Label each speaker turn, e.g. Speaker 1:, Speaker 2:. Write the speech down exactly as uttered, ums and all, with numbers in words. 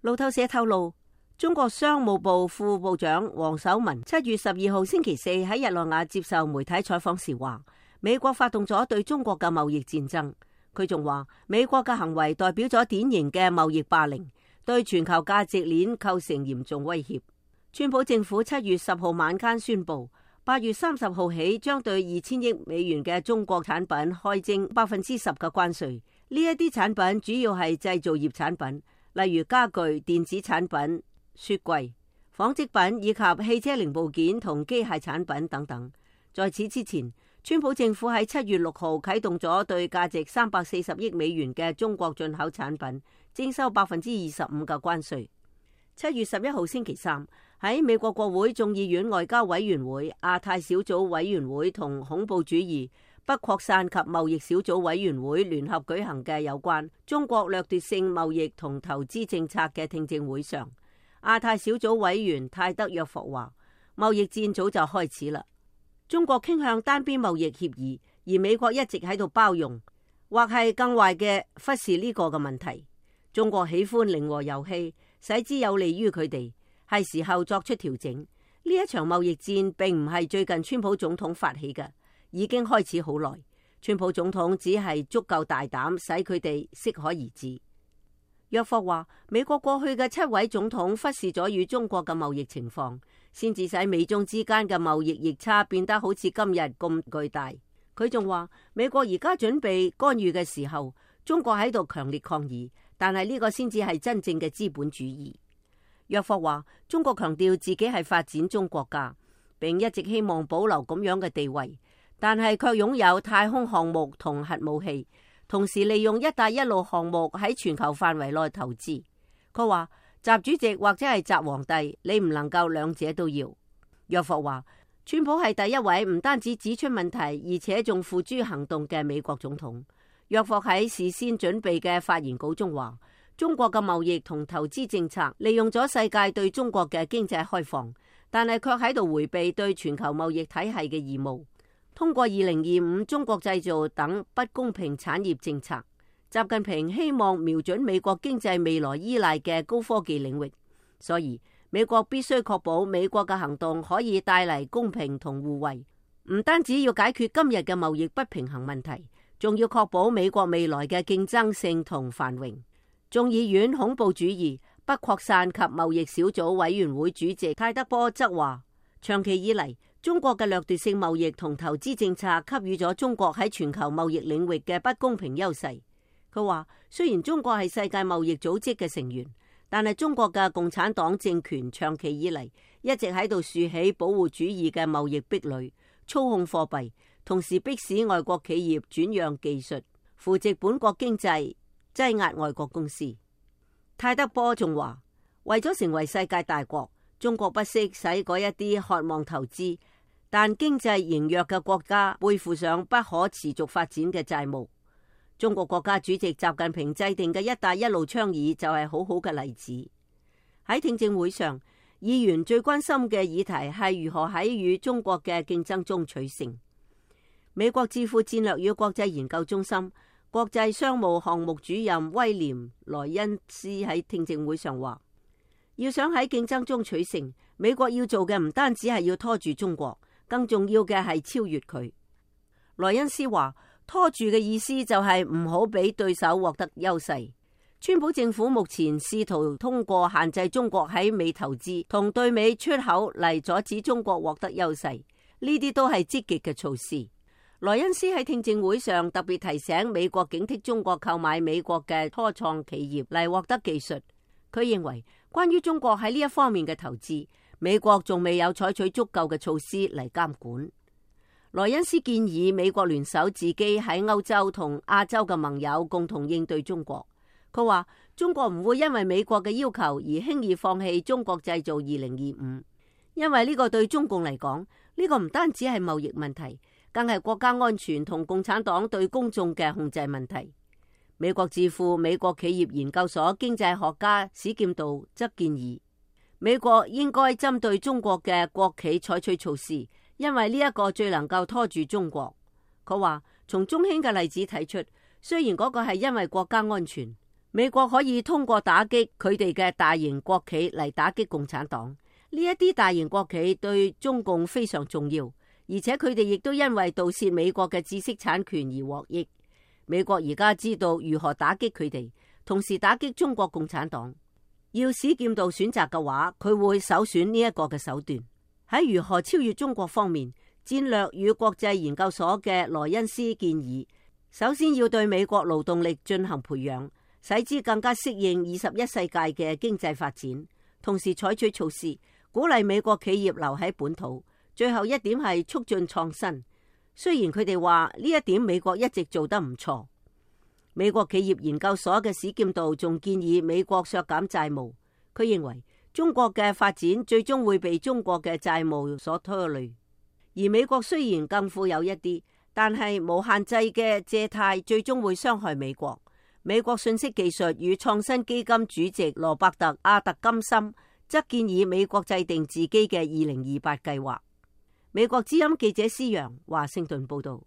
Speaker 1: 路透社透露，中國商務部副部長王守文七月十二號星期四喺日內瓦接受媒體採訪時話，美國發動咗對中國嘅貿易戰爭。佢仲話，美國嘅行為代表咗典型嘅貿易霸凌，對全球價值鏈構成嚴重威脅。川普政府七月十號晚間宣布，八月三十號起將對二千億美元嘅中國產品開徵百分之十嘅關稅。呢一啲產品主要係製造業產品，例如家具、電子產品、雪櫃、紡織品以及汽車零部件同機械產品等等。在此之前，川普政府喺七月六號啟動咗對價值三百四十億美元嘅中國進口產品徵收百分之二十五嘅關稅。七月十一號星期三，喺美國國會眾議院外交委員會、亞太小組委員會同恐怖主義不擴散及貿易小組委員會聯合舉行嘅有關中國掠奪性貿易同投資政策嘅聽證會上，亞太小組委員泰德約霍話，貿易戰早就開始啦。中國傾向單邊貿易協議，而美國一直喺度包容，或係更壞嘅忽視呢個嘅問題。中國喜歡零和遊戲，使之有利於佢哋，係時候作出調整。呢一場貿易戰並唔係最近川普總統發起嘅，已經開始好耐。川普總統只係足夠大膽，使佢哋適可而止。約霍話，美國過去嘅七位總統忽視咗與中國嘅貿易情況，先至使美中之間嘅貿易逆差變得好似今日咁巨大。佢仲話，美國而家準備干預嘅時候，中國喺度強烈抗議，但係呢個先至係真正嘅資本主義。約霍話，中國強調自己係發展中國家，並一直希望保留咁樣嘅地位，但係卻擁有太空項目同核武器，同時利用一帶一路項目喺全球範圍內投資。佢話，習主席或者係習皇帝，你唔能夠兩者都要。約霍話，川普係第一位唔單止指出問題，而且仲付諸行動嘅美國總統。約霍喺事先準備嘅發言稿中話，中國嘅貿易同投資政策利用咗世界對中國嘅經濟開放，但係卻喺度迴避對全球貿易體系嘅義務。通過二零二五中國製造等不公平產業政策，習近平希望瞄準美國經濟未來依賴嘅高科技領域，所以美國必須確保美國嘅行動可以帶嚟公平同互惠，唔單止要解決今日嘅貿易不平衡問題，仲要確保美國未來嘅競爭性同繁榮。眾議院恐怖主義不擴散及貿易小組委員會主席泰德波則話，長期以嚟，中國嘅掠奪性貿易同投資政策給予咗中國喺全球貿易領域嘅不公平優勢。佢話，雖然中國係世界貿易組織嘅成員，但係中國嘅共產黨政權長期以嚟一直喺度豎起保護主義嘅貿易壁壘，操控貨幣，同時迫使外國企業轉讓技術，扶植本國經濟，擠壓外國公司。泰德波仲話，為咗成為世界大國，中國不惜使嗰一啲渴望投資但經濟羸弱嘅國家背負上不可持續發展嘅債務。中國國家主席習近平制定嘅一帶一路倡議就係好好嘅例子。喺聽證會上，議員最關心嘅議題係如何喺與中國嘅競爭中取勝。美國智庫戰略與國際研究中心國際商務項目主任威廉萊恩斯喺聽證會上話，要想喺競爭中取勝，美國要做嘅唔單止係要拖住中國，更重要嘅係超越佢。萊恩斯話，拖住嘅意思就係唔好俾對手獲得優勢。川普政府目前試圖通過限制中國喺美投資同對美出口嚟阻止中國獲得優勢，呢啲都係積極嘅措施。萊恩斯喺聽證會上特別提醒美國警惕中國購買美國嘅初創企業嚟獲得技術。佢認為，關於中國喺呢一方面嘅投資，美國仲未有採取足夠嘅措施嚟監管。萊恩斯建議美國聯手自己喺歐洲同亞洲嘅盟友共同應對中國。佢話，中國唔會因為美國嘅要求而輕易放棄中國製造二零二五，因為呢個對中共嚟講，呢個唔單止係貿易問題，更係國家安全同共產黨對公眾嘅控制問題。美國智庫美國企業研究所經濟學家史劍道則建議，美國應該針對中國嘅國企採取措施，因為呢一個最能夠拖住中國。佢話，從中興嘅例子睇出，雖然嗰個係因為國家安全，美國可以通過打擊佢哋嘅大型國企嚟打擊共產黨。呢一啲大型國企對中共非常重要，而且佢哋亦都因為盜竊美國嘅知識產權而獲益。美國而家知道如何打擊佢哋，同時打擊中國共產黨。要史劍道選擇嘅話，佢會首選呢一個嘅手段。喺如何超越中國方面，戰略與國際研究所嘅萊恩斯建議，首先要對美國勞動力進行培養，使之更加適應二十一世紀嘅經濟發展，同時採取措施鼓勵美國企業留喺本土。最後一點係促進創新。雖然佢哋話呢一點美國一直做得唔錯。美國企業研究所嘅史劍道仲建議美國削減債務。佢認為中國嘅發展最終會被中國嘅債務所拖累。而美國雖然更富有一啲，但係無限制嘅借貸最終會傷害美國。美國信息技術與創新基金主席羅伯特·阿特金森則建議美國制定自己嘅二零二八計劃。美國之音記者施洋華盛頓報道。